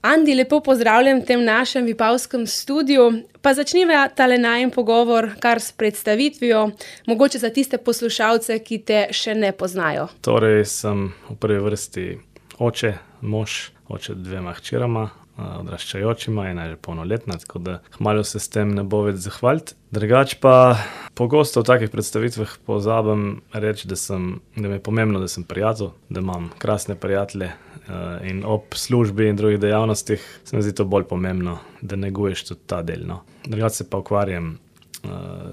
Andi, lepo pozdravljam v tem našem vipavskem studiu. Pa začniva tale najin pogovor kar s predstavitvijo, mogoče za tiste poslušalce, ki te še ne poznajo. Torej sem v prvi vrsti oče, mož, oče dvema hčerama, odraščajočima, ena je že polnoletna, tako da kmalu se s tem ne bo več zahvaliti. Drugače pa pogosto v takih predstavitvah pozabim reči, da mi je pomembno, da sem prijatelj, da imam krasne prijatelje, in ob službi in drugih dejavnostih se mi zdi to bolj pomembno, da neguješ tudi ta del, no. Drugače se pa ukvarjam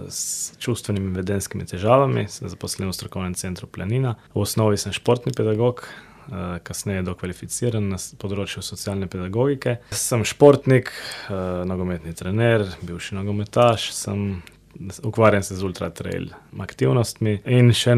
s čustvenimi in vedenjskimi težavami, sem zaposlen v strokovnem centru Planina. V osnovi sem športni pedagog, kasneje dokvalificiran na področju socialne pedagogike. Sem športnik, nogometni trener, bivši nogometaš, ukvarjam se z ultra trail aktivnostmi in še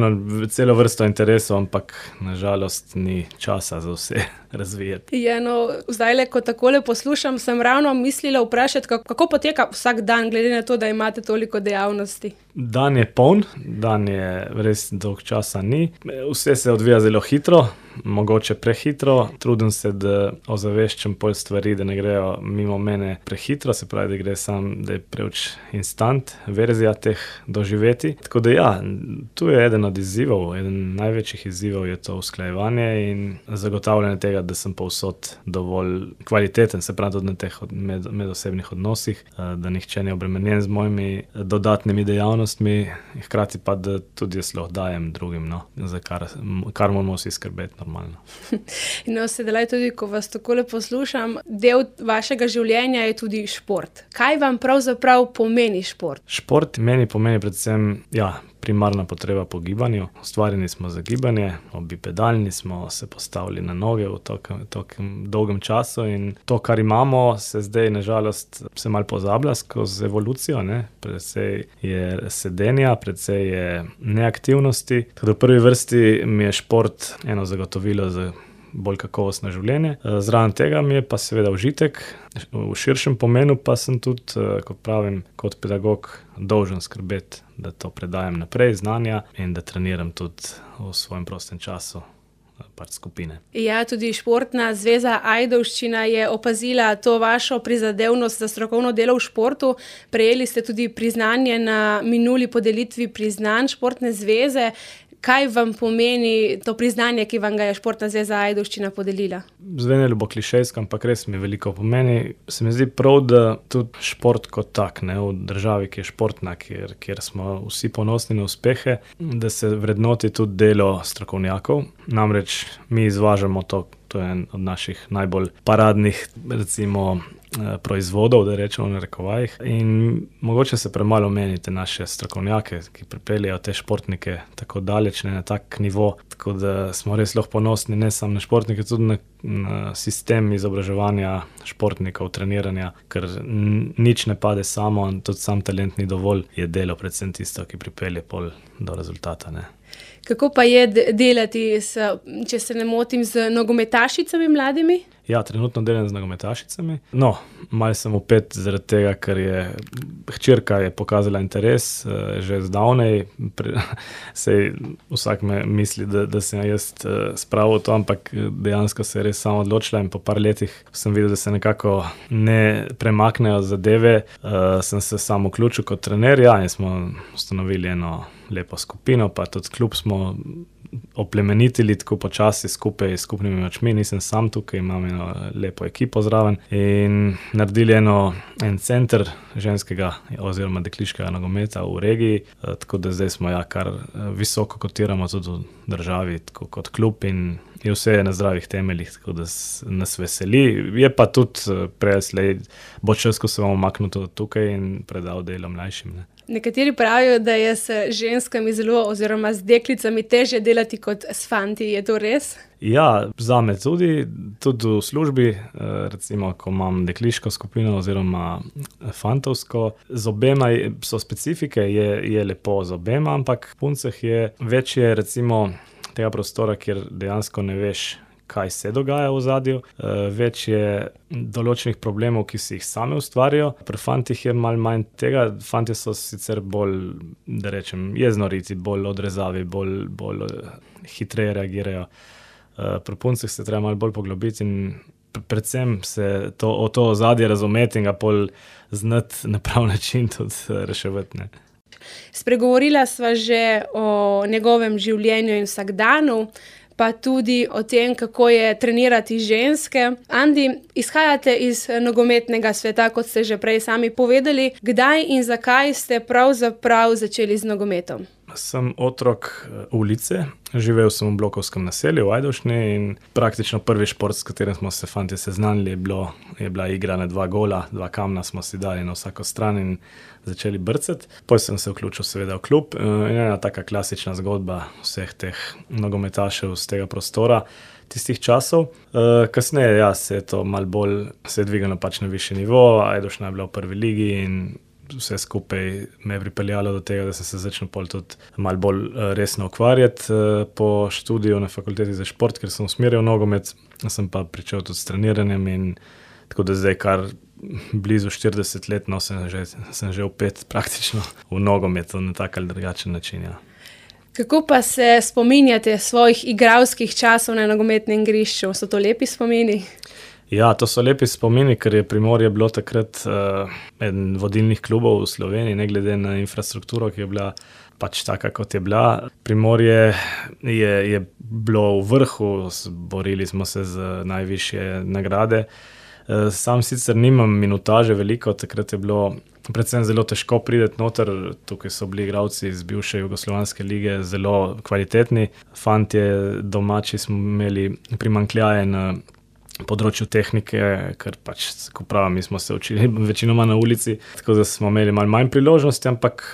celo vrsto interesov, ampak na žalost ni časa za vse razvijati. Ja, no, zdajle, ko takole poslušam, sem ravno mislila vprašati, kako poteka vsak dan, glede na to, da imate toliko dejavnosti. Dan je poln, dan je res dolg časa ni. Vse se odvija zelo hitro, mogoče prehitro. Trudim se, da ozaveščam pol stvari, da ne grejo mimo mene prehitro, se pravi, da je preveč instant verzija teh doživeti. Tako da ja, tu je eden od izzivov, eden največjih izzivov je to usklajevanje in zagotavljanje tega, da sem povsod dovolj kvaliteten, se pravi tudi na teh medosebnih odnosih, da nihče ni obremenjen z mojimi dodatnimi dejavnostmi, hkrati pa, da tudi jaz lahko dajem drugim, no, za kar moramo vsi skrbeti normalno. No, sedaj tudi, ko vas takole poslušam, del vašega življenja je tudi šport. Kaj vam pravzaprav pomeni šport? Šport meni pomeni predvsem, primarna potreba po gibanju. Ustvarjeni smo za gibanje, bipedalni smo se postavili na noge v tokem dolgem času in to, kar imamo, se zdaj na žalost se malo pozablja skozi evolucijo, ne. Precej je sedenja, precej je neaktivnosti. Tako da v prvi vrsti mi je šport eno zagotovilo za bolj kakovostno življenje. Zraven tega mi je pa seveda užitek, v širšem pomenu pa sem tudi, kot pravim, kot pedagog dolžen skrbeti, da to predajam naprej, znanja, in da treniram tudi v svojem prostem času skupine. Ja, tudi Športna zveza Ajdovščina je opazila to vašo prizadevnost za strokovno delo v športu. Prejeli ste tudi priznanje na minuli podelitvi priznanj Športne zveze. Kaj vam pomeni to priznanje, ki vam ga je Športna zveza Ajdovščina podelila? Zvenelo bo klišejsko, ampak res mi veliko pomeni. Se mi zdi prav, da tudi šport kot tak, ne, v državi, ki je športna, kjer smo vsi ponosni na uspehe, da se vrednoti tudi delo strokovnjakov. Namreč mi izvažamo to je en od naših najbolj paradnih, recimo, proizvodov, da rečemo v narekovajih. In mogoče se premalo meni te naše strokovnjake, ki pripeljejo te športnike tako daleč, ne, na tak nivo, tako da smo res lahko ponosni ne samo na športnike, tudi na sistem izobraževanja športnikov, treniranja, ker nič ne pade samo, in tudi sam talent ni dovolj, je delo predvsem tisto, ki pripelje pol do rezultata, ne. Kako pa je delati če se ne motim, z nogometašicami mladimi? Ja, trenutno delam z nogometašicami. No, malo sem vpet zaradi tega, ker hčerka je pokazala interes, že zdavnaj. Saj vsak me misli, da sem jaz spravil to, ampak dejansko se je res sama odločila in po par letih sem videl, da se nekako ne premaknejo zadeve. Sem se sam vključil kot trener, in smo ustanovili eno lepo skupino, pa tudi klub smo oplemenitili tako počasi skupaj s skupnimi močmi. Nisem sam tukaj, imam eno lepo ekipo zraven in naredili en center ženskega oziroma dekliškega nogometa v regiji, tako da zdaj smo kar visoko kotiramo tudi v državi, tako kot klub, in je vse na zdravih temeljih, tako da nas veseli. Je pa tudi prej bo čas, ko se bomo umaknili tudi tukaj in predal delo mlajšim, ne. Nekateri pravijo, da je s ženskami oziroma z deklicami težje delati kot s fanti. Je to res? Ja, zame tudi v službi, recimo, ko imam dekliško skupino oziroma fantovsko, z obema so specifike, je lepo z obema, ampak v puncah je večje, recimo, tega prostora, kjer dejansko ne veš, kaj se dogaja v ozadju, več je določenih problemov, ki si jih same ustvarijo. Pri fantih je malo manj tega, fantje so sicer bolj, da rečem, jeznoriti, bolj odrezavi, bolj hitreje reagirajo. Pri puncih se treba malo bolj poglobiti in predvsem se to ozadje razumeti in ga pol znati na prav način tudi reševati, ne. Spregovorila sva že o njegovem življenju in vsakdanu, pa tudi o tem, kako je trenirati ženske. Andi, izhajate iz nogometnega sveta, kot ste že prej sami povedali. Kdaj in zakaj ste pravzaprav začeli z nogometom? Sem otrok ulice, živel sem v blokovskem naselju v Ajdovščini in praktično prvi šport, s katerim smo se fantje seznanili, je bila igra na 2 gola, 2 kamna smo si dali na vsako stran in začeli brcati. Potem sem se vključil seveda v klub in ena taka klasična zgodba vseh teh nogometašev z tega prostora tistih časov. Kasneje, se je to malo bolj, se je dvignilo pač na višji nivo, Ajdovščina je bila v prvi ligi in vse skupaj me je pripeljalo do tega, da sem se začel pol tudi malo bolj resno ukvarjati po študiju na fakulteti za šport, ker sem usmerjal nogomet, sem pa pričel tudi s treniranjem in tako da zdaj kar blizu 40 let, sem že vpet praktično v nogometu na tak ali drugačen način, ja. Kako pa se spominjate svojih igralskih časov na nogometnem igrišču? So to lepi spomini? Ja, to so lepi spomini, ker je Primorje bilo takrat eden vodilnih klubov v Sloveniji, ne glede na infrastrukturo, ki je bila pač taka, kot je bila. Primorje je bilo v vrhu, borili smo se z najvišje nagrade. Sam sicer nimam minutaže veliko, takrat je bilo predvsem zelo težko priti noter, tukaj so bili igralci iz bivše Jugoslovanske lige zelo kvalitetni. Fantje domači smo imeli primanjkljaje na področju tehnike, ker pač, ko pravim, mi smo se učili večinoma na ulici, tako da smo imeli malo manj priložnosti, ampak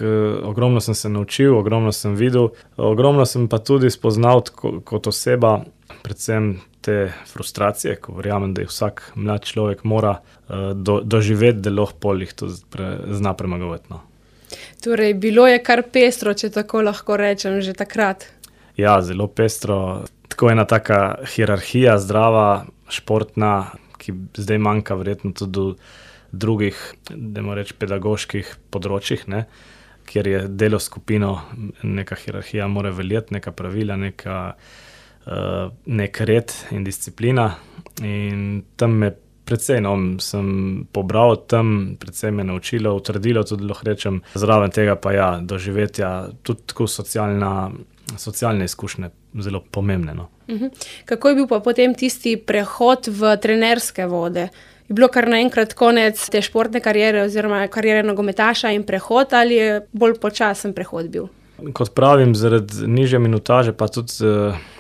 ogromno sem se naučil, ogromno sem videl, ogromno sem pa tudi spoznal kot oseba, predvsem te frustracije, ko verjamem, da jih vsak mlad človek mora doživeti, da lahko pol jih to zna premagovati, no. Torej, bilo je kar pestro, če tako lahko rečem, že takrat. Ja, zelo pestro. Tako ena taka hierarhija zdrava, športna, ki zdaj manjka verjetno tudi v drugih, dajmo reči, pedagoških področjih, ne, kjer je delo skupino, neka hierarhija mora veljati, neka pravila, nek red in disciplina. In tam me precej, sem pobral tam, precej me naučilo, utrdilo, tudi lahko rečem, zraven tega pa doživetja, tudi tako socialne izkušnje, zelo pomembne, no. Kako je bil pa potem tisti prehod v trenerske vode? Je bilo kar naenkrat konec te športne kariere oziroma kariere nogometaša in prehod, ali je bolj počasen prehod bil? Kot pravim, zaradi nižje minutaže, pa tudi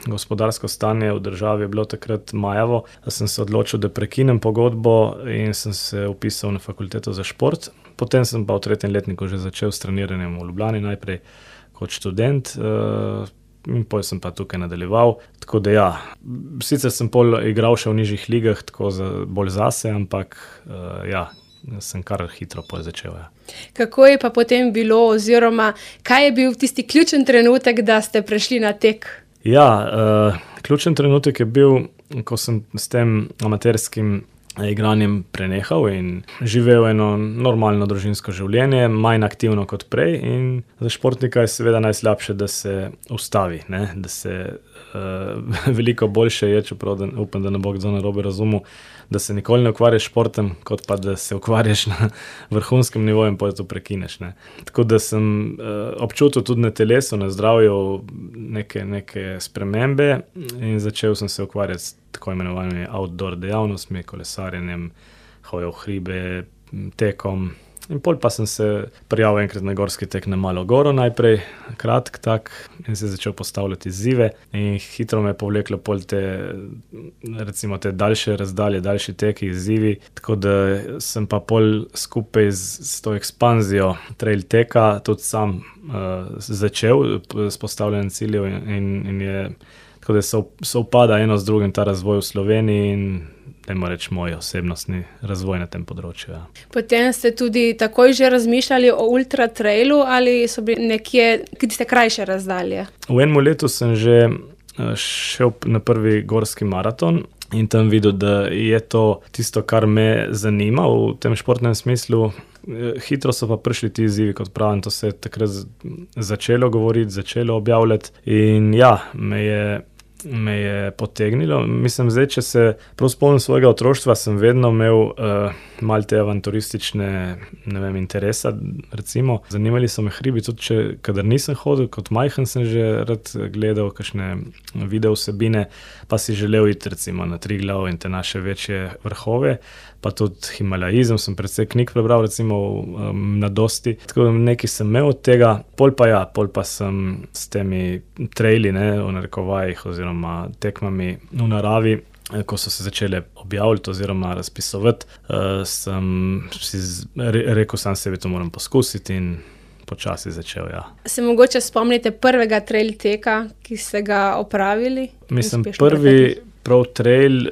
gospodarsko stanje v državi je bilo takrat majavo, da sem se odločil, da prekinem pogodbo in sem se vpisal na fakulteto za šport. Potem sem pa v 3. letniku že začel s treniranjem v Ljubljani, najprej kot študent, in potem sem pa tukaj nadaljeval. Tako da sicer sem pol igral še v nižjih ligah, tako bolj zase, ampak sem kar hitro potem začel. Kako je pa potem bilo oziroma kaj je bil tisti ključen trenutek, da ste prešli na tek? Ključen trenutek je bil, ko sem s tem amaterskim igranjem prenehal in živel eno normalno družinsko življenje, manj aktivno kot prej, in za športnika je seveda najslabše, da se ustavi, ne? Da se veliko boljše je, čeprav upam, da ne bo kdo narobe razumel, da se nikoli ne ukvarjaš s športom, kot pa da se ukvarjaš na vrhunskem nivoju in potem to prekineš, ne. Tako da sem občutil tudi na telesu, na zdravju neke spremembe in začel sem se ukvarjati s tako imenovanimi outdoor dejavnostmi, kolesarjenjem, hojo v hribe, tekom. In pol pa sem se prijavil enkrat na gorski tek na Malo goro najprej, kratk tak, in se začel postavljati izzive in hitro me je povleklo pol te daljše razdalje, daljši teki, izzivi, tako da sem pa pol skupaj s to ekspanzijo trail teka tudi sam začel s postavljanjem ciljev in je tako da sovpada eno z drugim ta razvoj v Sloveniji in dajmo reči moj osebnostni razvoj na tem področju. Potem ste tudi takoj že razmišljali o ultra trailu ali so bili nekje tiste krajše razdalje? V enem letu sem že šel na prvi gorski maraton in tam videl, da je to tisto, kar me zanima v tem športnem smislu. Hitro so pa prišli ti izzivi, kot pravim, to se je takrat začelo govoriti, začelo objavljati in me je me je potegnilo. Mislim, zdaj, če se prav spomnim svojega otroštva, sem vedno imel malo te avanturistične, ne vem, interesa, recimo. Zanimali so me hribi, tudi kadar nisem hodil, kot majhen sem že rad gledal kakšne video vsebine, pa si želel iti recimo na Triglav in te naše večje vrhove, pa tudi himalajizem, sem precej knjig prebral, recimo v mladosti. Tako nekaj sem imel od tega, pol pa sem s temi traili, v narekovajih oziroma tekmami v naravi, ko so se začele objavljati oziroma razpisovati, sem si rekel sam sebi, to moram poskusiti in počasi začel, ja. Se mogoče spomnite prvega trail teka, ki ste ga opravili? Mislim, prvi prav trail,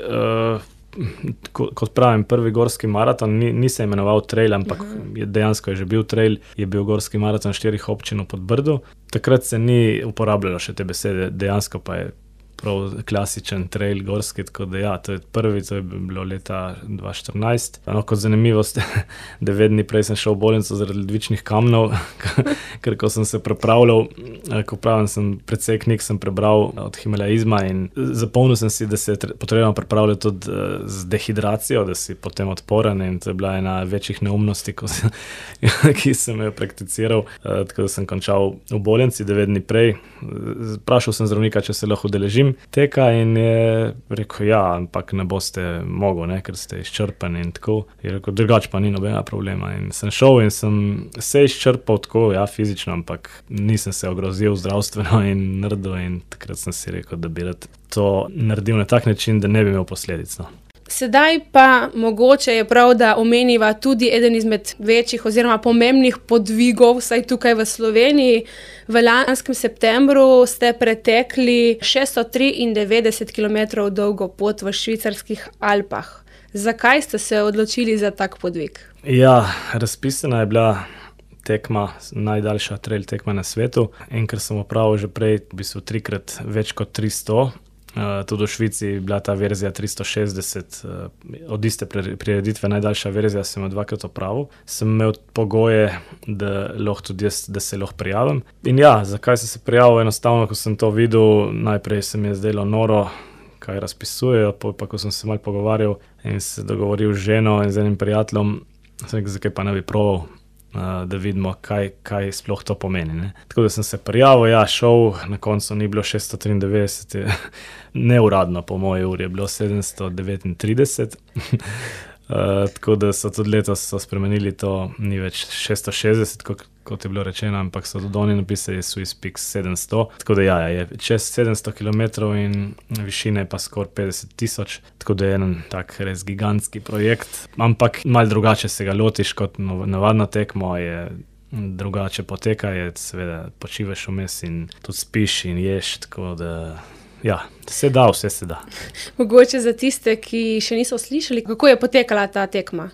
kot pravim, prvi gorski maraton, ni se imenoval trail, ampak dejansko je že bil trail, je bil gorski maraton 4 občin v Podbrdu. Takrat se ni uporabljalo še te besede, dejansko pa je prav klasičen trail gorski, tako da ja, to je prvi, to je bilo leta 2014. Kot zanimivost, 9 dni prej sem šel v bolnico zaradi ledvičnih kamnov, ker ko sem se pripravljal, ko pravim, sem precej knjig sem prebral od himalajizma in zapomnil sem si, da se je potrebno pripravljati tudi z dehidracijo, da si potem odporen in to je bila ena večjih neumnosti, ki sem jo prakticiral, tako da sem končal v bolnici 9 dni prej. Vprašal sem zdravnika, če se lahko udeležim teka in je rekel, ja, ampak ne boste mogel, ker ste izčrpani in tako. Je rekel, drugače pa ni nobena problema. In sem šel in sem se izčrpal tako, ja, fizično, ampak nisem se ogrozil zdravstveno in naredil in takrat sem si rekel, da bi rad to naredil na tak način, da ne bi imel posledic. Sedaj pa mogoče je prav, da omeniva tudi eden izmed večjih oziroma pomembnih podvigov, vsaj tukaj v Sloveniji. V lanskem septembru ste pretekli 693 km dolgo pot v švicarskih Alpah. Zakaj ste se odločili za tak podvig? Ja, razpisana je bila tekma, najdaljša trail tekma na svetu, in ker sem opravil že prej v bistvu 3-krat več kot 300, tudi v Švici je bila ta verzija 360, od iste prireditve, najdaljša verzija sem jo 2-krat opravil. Sem imel pogoje, da lahko tudi jaz, da se lahko prijavim. In ja, zakaj sem se prijavil? Enostavno, ko sem to videl, najprej se mi je zdelo noro, kaj razpisujejo, pa ko sem se malo pogovarjal in se dogovoril z ženo in z enim prijateljem, sem rekel, zakaj pa ne bi proval, da vidimo, kaj sploh to pomeni. Tako da sem se prijavil, ja, šel, na koncu ni bilo 693, neuradno po moji uri je bilo 739, tako da so tudi letos spremenili to, ni več 660, kot je bilo rečeno, ampak so tudi oni napisali Swiss Peaks 700, tako da ja, je čez 700 km in višine pa skoraj 50 000, tako da je en tak res gigantski projekt, ampak malo drugače se ga lotiš kot navadno tekmo, je drugače poteka, je seveda počivaš vmes in tudi spiš in ješ, tako da ja, vse se da. Mogoče za tiste, ki še niso slišali, kako je potekala ta tekma?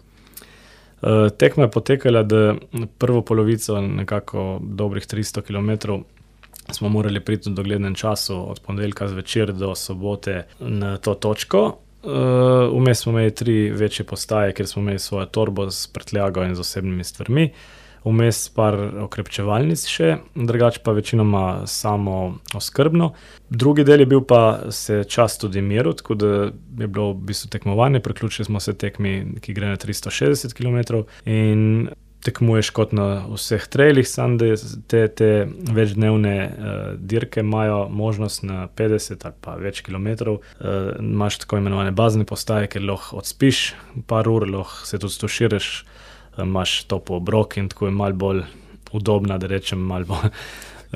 Tekma je potekala, da prvo polovico, nekako dobrih 300 km, smo morali priti v doglednem času od ponedeljka zvečer do sobote na to točko. Vmes smo imeli 3 večje postaje, kjer smo imeli svojo torbo s prtljago in z osebnimi stvarmi. Vmes par okrepčevalnic še, drugače pa večinoma samo oskrbno. Drugi del je bil pa se čas tudi miru, tako da je bilo v bistvu tekmovanje, priključili smo se tekmi, ki gre na 360 km in tekmuješ kot na vseh trailih, samo da te večdnevne dirke imajo možnost na 50 ali pa več kilometrov. Imaš tako imenovane bazne postaje, kjer lahko odspiš par ur, lahko se tudi stoširaš, imaš topel obrok in tako je malo bolj udobna, da rečem, malo bolj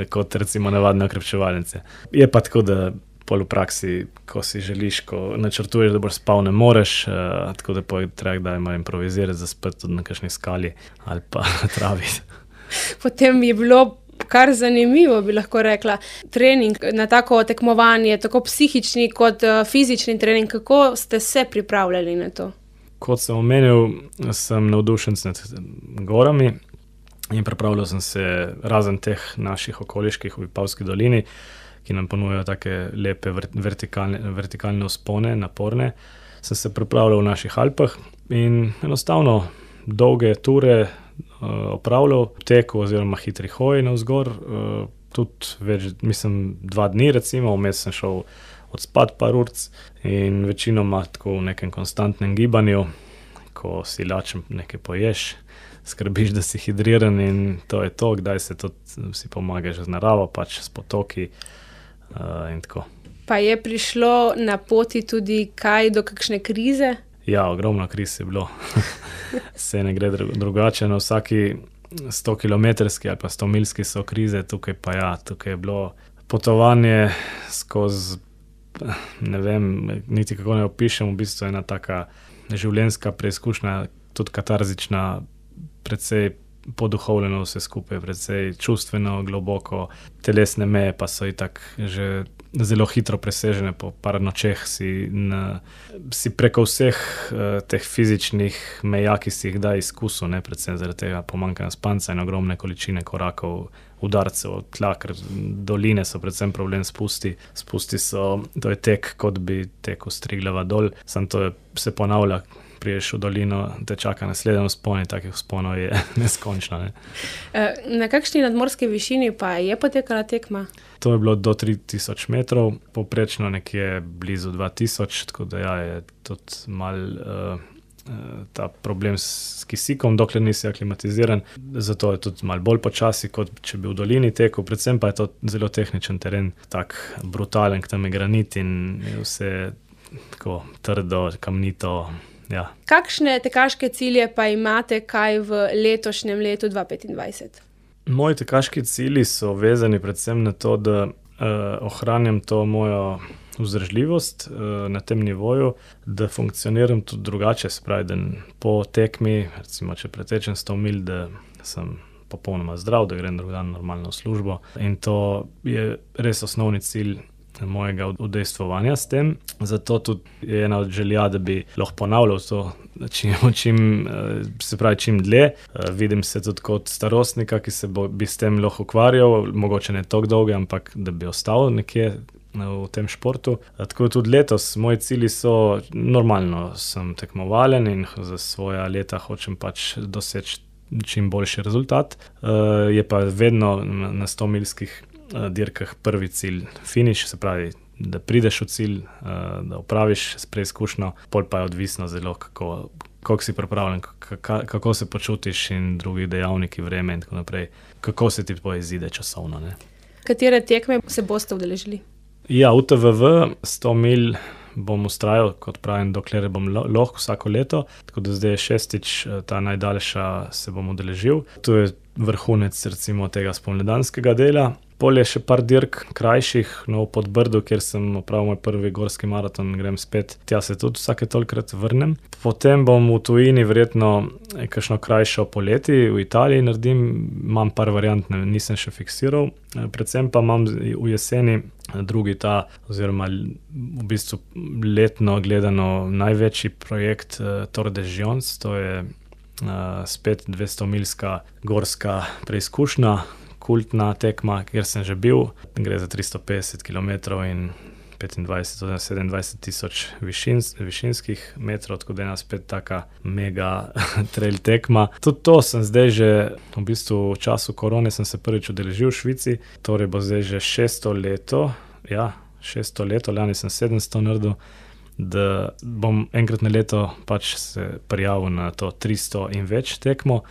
kot recimo navadne okrepčevalnice. Je pa tako, da pol v praksi, ko si želiš, ko načrtuješ, da boš spal, ne moreš, tako da treba kdaj malo improvizirati, zaspati tudi na kakšni skali ali pa travi. Potem je bilo kar zanimivo, bi lahko rekla, trening na tako tekmovanje, tako psihični kot fizični trening. Kako ste se pripravljali na to? Kot sem omenil, sem navdušenec nad gorami in pripravljal sem se razen teh naših okoliških v Vipavski dolini, ki nam ponujajo take lepe vertikalne vzpone, naporne. Sem se pripravljal v naših Alpah in enostavno dolge ture opravljal, teku oziroma hitri hoji navzgor, tudi več, mislim, 2 dni recimo, vmes sem šel odspati par urc in večinoma tako v nekem konstantnem gibanju, ko si lačen nekaj poješ, skrbiš, da si hidriran in to je to, kdaj se tudi si pomagaš z naravo, pač s potoki in tako. Pa je prišlo na poti tudi kaj do kakšne krize? Ja, ogromno kriz je bilo. Se ne gre drugače, na vsaki 100-kilometrski ali pa 100-milski so krize, tukaj pa ja, tukaj je bilo potovanje skozi, ne vem, niti kako ne opišem, v bistvu ena taka življenjska preizkušnja, tudi katarzična, precej poduhovljeno vse skupaj, precej čustveno, globoko, telesne meje pa so itak že zelo hitro presežene, po par nočeh si preko vseh teh fizičnih meja, ki si jih da izkusil, ne, predvsem zaradi tega pomanjkanja spanca in ogromne količine korakov, udarcev od tla, ker doline so predvsem problem spusti. Spusti so, to je tek, kot bi tekel s Triglava dol, samo to se ponavlja, priješ v dolino, te čaka naslednji vzpon in takih vzponov je neskončno. Ne. Na kakšni nadmorski višini pa je potekala tekma? To je bilo do 3000 metrov, povprečno nekje blizu 2000, tako da ja, je tudi malo ta problem s kisikom, dokler nisi aklimatiziran, zato je tudi malo bolj počasi, kot če bi v dolini tekel, predvsem pa je to zelo tehničen teren, tak brutalen, k tam je granit in je vse tako trdo, kamnito. Ja. Kakšne tekaške cilje pa imate kaj v letošnjem letu 2025? Moji tekaški cilji so vezani predvsem na to, da ohranjam to mojo vzdržljivost na tem nivoju, da funkcioniram tudi drugače, se pravi, da po tekmi, recimo, če pretečem 100 mil, da sem popolnoma zdrav, da grem drug dan normalno v službo in to je res osnovni cilj mojega udejstvovanja s tem. Zato tudi je ena od želja, da bi lahko ponavljal to čim dlje. Vidim se tudi kot starostnika, ki bi s tem lahko ukvarjal, mogoče ne toliko dolgo, ampak da bi ostal nekje v tem športu. Tako tudi letos moji cilji so, normalno sem tekmovalen in za svoja leta hočem pač doseči čim boljši rezultat. Je pa vedno na 100-milskih dirkah prvi cilj finiš, se pravi, da prideš v cilj, da opraviš preizkušnjo, pol pa je odvisno zelo, kako si pripravljen, kako se počutiš in drugi dejavniki, vreme in tako naprej, kako se ti izide časovno. Ne. Katere tekme se boste udeležili? Ja, UTVV 100 mil bom vztrajal, kot pravim, dokler bom lahko vsako leto, tako da zdaj je 6. ta najdaljša se bom udeležil. To je vrhunec recimo tega spomladanskega dela. Pol je še par dirk krajših, v Podbrdu, kjer sem opravil moj prvi gorski maraton, grem spet, tja se tudi vsake tolikrat vrnem. Potem bom v tujini verjetno kakšno krajšo poleti, v Italiji naredim, imam par variant, nisem še fiksiral, predvsem pa imam v jeseni drugi oziroma v bistvu letno gledano največji projekt Tour de Gions, to je spet 200-milska gorska preizkušnja, kultna tekma, kjer sem že bil. Gre za 350 km in 27 tisoč višinskih metrov, tako da je ena spet taka mega trail tekma. Tudi to sem zdaj že, v bistvu v času korone sem se prvič udeležil v Švici, torej bo zdaj že 600 leto, lani sem 700 naredil, da bom enkrat na leto pač se prijavil na to 300 in več tekmo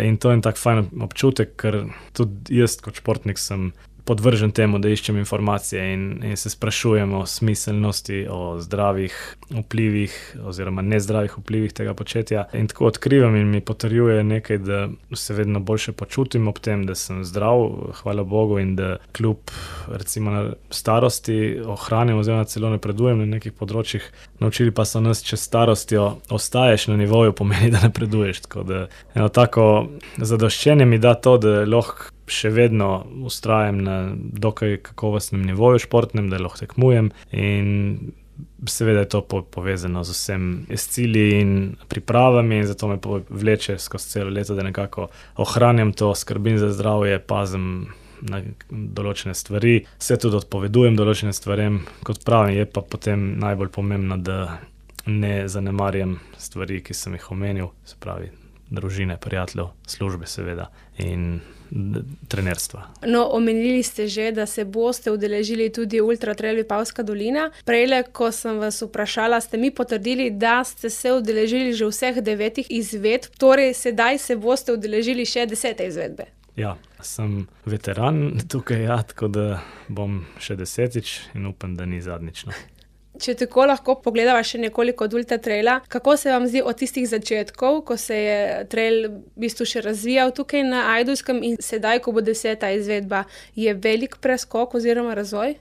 in to je en tak fajn občutek, ker tudi jaz kot športnik sem podvržen temu, da iščem informacije in se sprašujem o smiselnosti, o zdravih vplivih oziroma nezdravih vplivih tega početja in tako odkrivam in mi potrjuje nekaj, da se vedno boljše počutim ob tem, da sem zdrav, hvala Bogu, in da kljub recimo na starosti ohranjam oziroma celo napredujem na nekih področjih. Naučili pa so nas, če starostjo ostaješ na nivoju, pomeni, da napreduješ, tako da eno tako zadoščenje mi da to, da lahko še vedno vztrajam na dokaj kakovostnem nivoju športnem, da lahko tekmujem in seveda je to povezano z vsem s cilji in pripravami in zato me vleče skozi celo leto, da nekako ohranjam to, skrbim za zdravje, pazim na določene stvari, se tudi odpovedujem določenim stvarem, kot pravim, je pa potem najbolj pomembno, da ne zanemarjam stvari, ki sem jih omenil, se pravi, družine, prijateljev, službe seveda in trenerstva. No, omenili ste že, da se boste udeležili tudi Ultra Trail Vipavska dolina. Prejle, ko sem vas vprašala, ste mi potrdili, da ste se udeležili že vseh 9 izvedb, torej sedaj se boste udeležili še 10. izvedbe. Ja, sem veteran tukaj, tako da bom še 10. in upam, da ni zadnjič. Če tako lahko pogledava še nekoliko od Ultra Traila, kako se vam zdi od tistih začetkov, ko se je trail v bistvu še razvijal tukaj na Ajdovskem in sedaj, ko bo 10. izvedba, je velik preskok oziroma razvoj?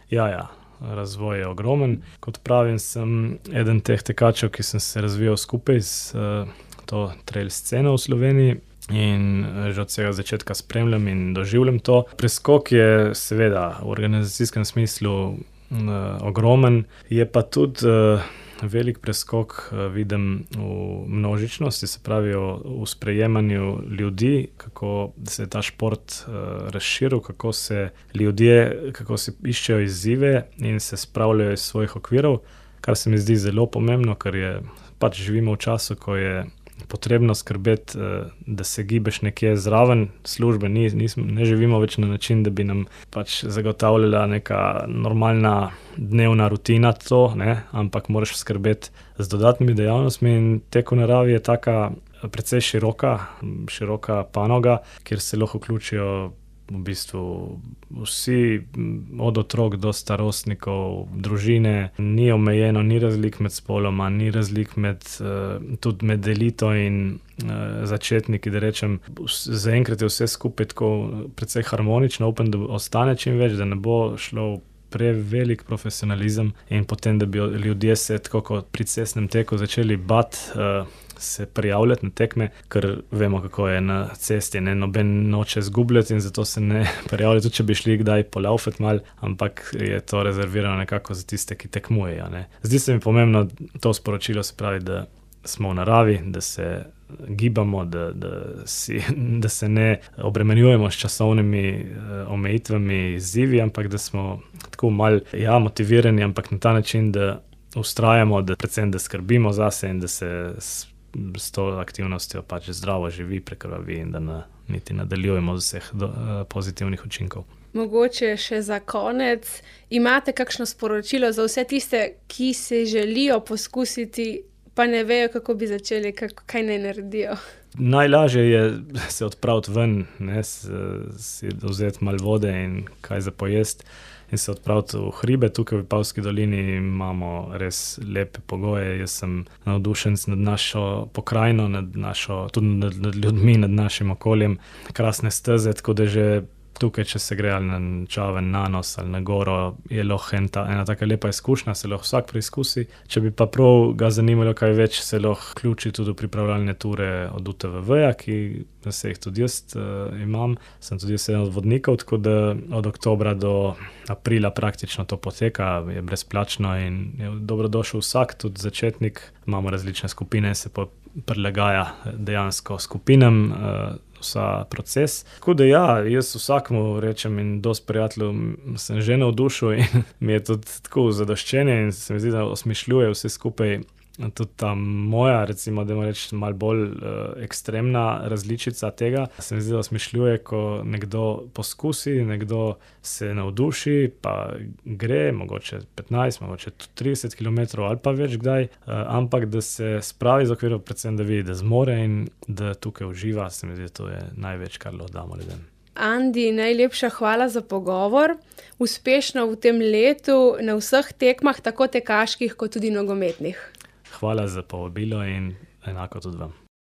Ja, razvoj je ogromen. Kot pravim, sem eden teh tekačev, ki sem se razvijal skupaj s to trail sceno v Sloveniji in že od vsega začetka spremljam in doživljam to. Preskok je seveda v organizacijskem smislu ogromen, je pa tudi velik preskok, vidim v množičnosti, se pravi v sprejemanju ljudi, kako se je ta šport razširil, kako se ljudje, kako se iščejo izzive in se spravljajo iz svojih okvirov, kar se mi zdi zelo pomembno, ker je pač živimo v času, ko je potrebno skrbeti, da se gibeš nekje zraven službe, ne živimo več na način, da bi nam pač zagotavljala neka normalna dnevna rutina to, ampak moraš skrbeti z dodatnimi dejavnostmi in tek v naravi je taka precej široka panoga, kjer se lahko vključijo v bistvu vsi, od otrok do starostnikov, družine, ni omejeno, ni razlik med spoloma, ni razlik tudi med elito in začetniki, da rečem, zaenkrat je vse skupaj tako precej harmonično, upam, da ostane čim več, da ne bo šlo prevelik profesionalizem in potem, da bi ljudje se tako kot pri cestnem teku začeli bati se prijavljati na tekme, ker vemo, kako je na cesti, noben noče zgubljati in zato se ne prijavlja, tudi če bi šli kdaj polaufati mal, ampak je to rezervirano nekako za tiste, ki tekmujejo. Zdi se mi pomembno to sporočilo, se pravi, da smo v naravi, da se gibamo, da se ne obremenjujemo s časovnimi omejitvami, izzivi, ampak da smo tako malo motivirani, ampak na ta način, da vztrajamo, da predvsem, da skrbimo zase in da se s to aktivnostjo pač zdravo živi, prekrvavi in da niti nadaljujemo z vseh pozitivnih učinkov. Mogoče še za konec, imate kakšno sporočilo za vse tiste, ki se želijo poskusiti, pa ne vejo, kako bi začeli, kaj naj naredijo? Najlažje je se odpraviti ven, si vzeti malo vode in kaj za pojesti in se odpraviti v hribe. Tukaj v Vipavski dolini imamo res lepe pogoje. Jaz sem navdušen nad našo pokrajino, tudi nad ljudmi, nad našim okoljem. Krasne steze, tako da že tukaj, če se gre ali na Čaven, na Nos ali na Goro, je lahko ena taka lepa izkušnja, se lahko vsak preizkusi. Če bi pa prav ga zanimalo kaj več, se lahko vključi tudi v pripravljalne ture od UTVV-ja, ki se jih tudi jaz imam. Sem tudi jaz eden od vodnikov, tako da od oktobra do aprila praktično to poteka, je brezplačno in je dobrodošel vsak, tudi začetnik. Imamo različne skupine, se pa prilagaja dejansko skupinam vsa proces. Tako da jaz vsakmu rečem in dosti prijateljev sem že navdušil in mi je tudi tako zadoščenje in se mi zdi, da osmišljuje vse skupaj. Tudi ta moja, recimo, da ima reči malo bolj ekstremna različica tega, se mi zdi, da osmišljuje, ko nekdo poskusi, nekdo se navduši, pa gre, mogoče 15, mogoče 30 km ali pa več kdaj, ampak da se spravi z okvirov, predvsem da vidi, da zmore in da tukaj uživa, se mi zdi, da to je največ, kar lahko damo ljudem. Andi, najlepša hvala za pogovor. Uspešno v tem letu na vseh tekmah, tako tekaških kot tudi nogometnih. Hvala za povabilo in enako tudi vam.